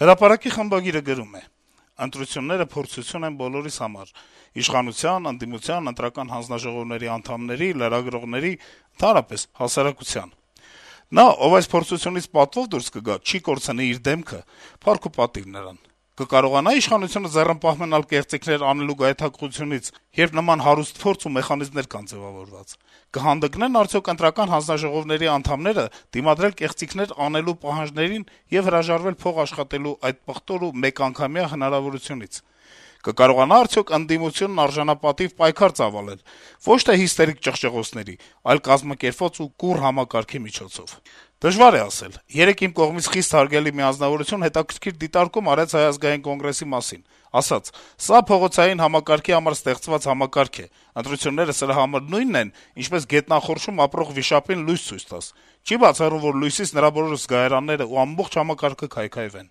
Հրապարակի խմբագիրը գրում է. - «Ընտրությունները փորձություն են բոլորիս համար` իշխանության, ընդդիմության, ընտրական հանձնաժողովների անդամների, լրագրողների, ընդհանրապես հասարակության: Նա, ով այս փորձությունից պատվով դուրս կգա, չի կորցնի իր դեմքը, փառք ու պատիվ նրան: Կկարողանա՞ իշխանությունը ձեռնպահ մնալ կեղծիքներ անելու գայթակղությունից, երբ նման հարուստ փորձ ու մեխանիզմներ կան ձեւավորված: Կհանդգնե՞ն արդյոք ընտրական հանձնաժողովների անդամները դիմադրել կեղծիքներ անելու պահանջներին եւ հրաժարվել փող աշխատելու այդ պղտոր ու մեկանգամյա հնարավորությունից: Կկարողանա՞ արդյոք ընդդիմությունն արժանապատիվ պայքար ծավալել, ոչ թե հիստերիկ ճղճղոցների, այլ կազմակերպված ու կուռ համակարգի միջոցով: Դժվար է ասել: Երեկ իմ կողմից խիստ հարգելի մի անձնավորություն հետաքրքիր դիտարկում արեց Հայ ազգային կոնգրեսի մասին: Ասաց. «Սա փողոցային համակարգի համար ստեղծված համակարգ է, ընտրությունները սրա համար նույնն են, ինչպես գետնախորշում ապրող վիշապին լույս ցույց տաս: Չի բացառում, որ լույսից նրա բոլոր զգայարանները ու ամբողջ համակարգը քայքայվեն»: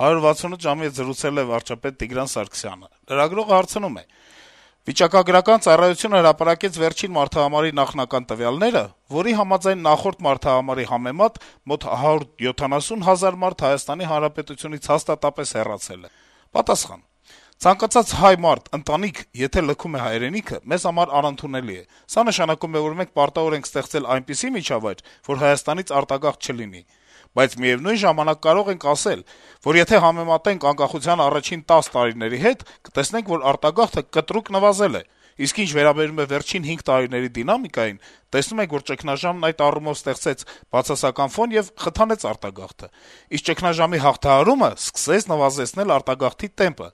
«168 ժամ»-ի հետ զրուցել է վարչապետ Տիգրան Սարգսյանը: Լրագրողը հարցնում է. - «Վիճակագրական ծառայությունը հրապարակեց վերջին մարդահամարի նախնական տվյալները, որի համաձայն նախորդ մարդահամարի համեմատ մոտ 170 հազար մարդ Հայաստանի Հանրապետությունից հաստատապես հեռացել է»: Պատասխան. - «Ցանկացած հայ մարդ, ընտանիք, եթե լքում է հայրենիքը, մեզ համար անընդունելի է: Սա նշանակում է, որ մենք պարտավոր ենք ստեղծել այնպիսի միջավայր, որ Հայաստանից արտագաղթ չլինի: Բայց միեւնույն ժամանակ կարող ենք ասել, որ եթե համեմատենք անկախության առաջին 10 տարիների հետ, կտեսնենք, որ արտագաղթը կտրուկ նվազել է: Իսկ ինչ վերաբերում է վերջին 5 տարիների դինամիկային, տեսնում ենք, որ ճգնաժամն այդ առումով ստեղծեց բացասական ֆոն եւ խթանեց արտագաղթը: Իսկ ճգնաժամի հաղթահարումը սկսեց նվազեցնել արտագաղթի տեմպը»: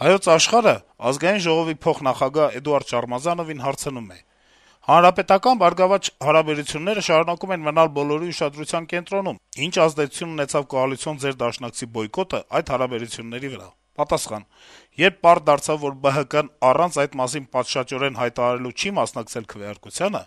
«Հայոց Աշխարհ»-ը Ազգային ժողովի փոխնախագահ Էդուարդ Շարմազանովին հարցնում է. - «Հանրապետական «Բարգավաճ հարաբերությունները» շարունակում են մնալ բոլորի ուշադրության կենտրոնում: Ինչ ազդեցություն ունեցավ կոալիցիոն ձեր դաշնակցի բոյկոտը այդ հարաբերությունների վրա»: Պատասխան. - «Երբ պարզ դարձավ, որ ԲՀԿ-ն առանց այդ մասին պատշաճորեն հայտարարելու չի մասնակցել քվեարկությանը,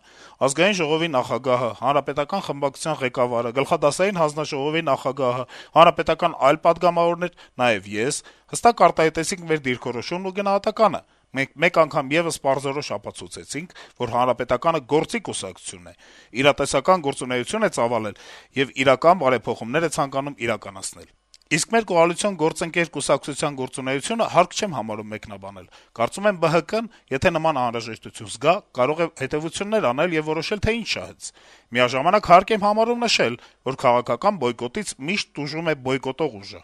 Ազգային ժողովի նախագահը, Հանրապետական խմբակցության ղեկավարը, Գլխադասային հանձնաժողովի նախագահը, հանրապետական այլ պատգամավորներ, նաեւ ես հստակ արտահայտեցինք մեր դիրքորոշումն ու գնահատականը: Մենք մեկ անգամ եւս պարզորոշ ապացուցեցինք, որ Հանրապետականը գործի կուսակցություն է, իրատեսական գործունեություն է ծավալել եւ իրական բարեփոխումներ է ցանկանում իրականացնել: Իսկ մեր կոալիցիոն գործընկեր կուսակցության գործունեությունը հարկ չեմ համարում մեկնաբանել: Կարծում եմ ԲՀԿ-ն, եթե նման անհրաժեշտություն զգա, կարող է հետեւություններ անել եւ որոշել, թե ինչ շահեց: Միաժամանակ հարկ եմ համարում նշել, որ քաղաքական բոյկոտից միշտ տուժում է բոյկոտող ուժը»: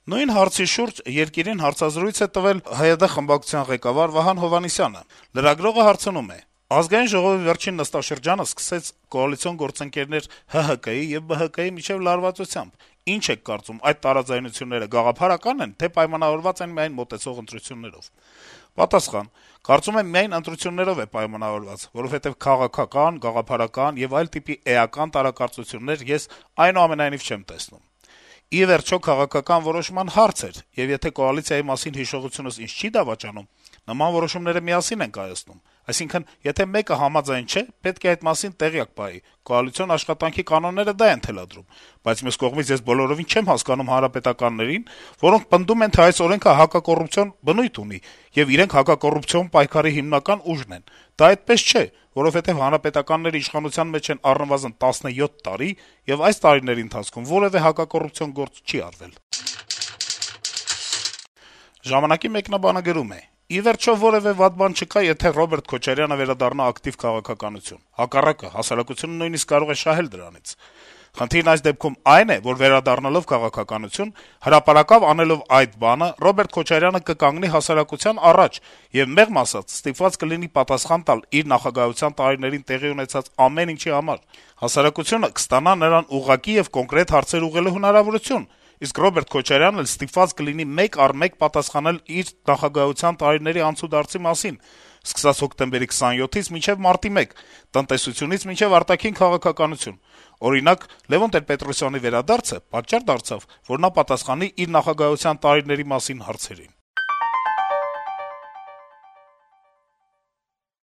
Նույն հարցի շուրջ «Երկիր»-ին հարցազրույց է տվել ՀՅԴ խմբակցության ղեկավար Վահան Հովհաննիսյանը: Լրագրողը հարցնում է. - «Ազգային ժողովի վերջին նստաշրջանը սկսեց կոալիցիոն գործընկերներ ՀՀԿ-ի եւ ԲՀԿ-ի միջեւ լարվածությամբ: Ինչ եք կարծում, այդ տարաձայնությունները գաղափարակա՞ն են, թե պայմանավորված են միայն մոտեցող ընտրություններով»: Պատասխան. - «Կարծում եմ միայն ընտրություններով է պայմանավորված, որովհետեւ քաղաքական, գաղափարական եւ այլ տիպի էական տարակարծություններ ես այնուամենայնիվ չեմ տեսնում: Ի վերջո, քաղաքական որոշման հարց էր, եւ եթե կոալիցիայի մասին հիշողությունս ինձ չի դավաճանում, նման որոշումները միասին ենք կայացնում: Այսինքն, եթե մեկը համաձայն չէ, պետք է այդ մասին տեղյակ պահի, կոալիցիոն աշխատանքի կանոնները դա են թելադրում: Բայց մյուս կողմից ես բոլորովին չեմ հասկանում հանրապետականներին, որոնք պնդում են, թե այս օրենքը հակակոռուպցիոն բնույթ ունի, եւ իրենք հակակոռուպցիոն պայքարի հիմնական ուժն են: Դա այդպես չէ, որովհետեւ հանրապետականները իշխանության մեջ են առնվազն 17 տարի, եւ այս տարիների ընթացքում որեւէ հակակոռուպցիոն գործ չի արվել»: «Ժամանակ»-ի մեկնաբանը գրում է. - «Ի վերջո, որեւէ վատ բան չկա, եթե Ռոբերտ Քոչարյանը վերադառնա ակտիվ քաղաքականություն: Հակառակը, հասարակությունը նույնիսկ կարող է շահել դրանից: Խնդիրն այս դեպքում այն է, որ վերադառնալով քաղաքականություն, հրապարակավ անելով այդ բանը, Ռոբերտ Քոչարյանը կկանգնի հասարակության առաջ եւ, մեղմ ասած, ստիպված կլինի պատասխան տալ իր նախագահության տարիներին տեղի ունեցած ամեն ինչի համար: Հասարակությունը կստանա նրան ուղղակի եւ կոնկրետ հարցեր ուղղելու հնարավորություն, իսկ Ռոբերտ Քոչարյանն էլ ստիպված կլինի մեկ առ մեկ պատասխանել իր նախագահության տարիների անցուդարձի մասին, սկսած հոկտեմբերի 27-ից մինչեւ մարտի 1, տնտեսությունից մինչեւ արտաքին քաղաքականություն: Օրինակ, Լեւոն Տեր-Պետրոսյանի վերադարձը պատճառ դարձավ, որ նա պատասխանի իր նախագահության տարիների մասին հարցերին»: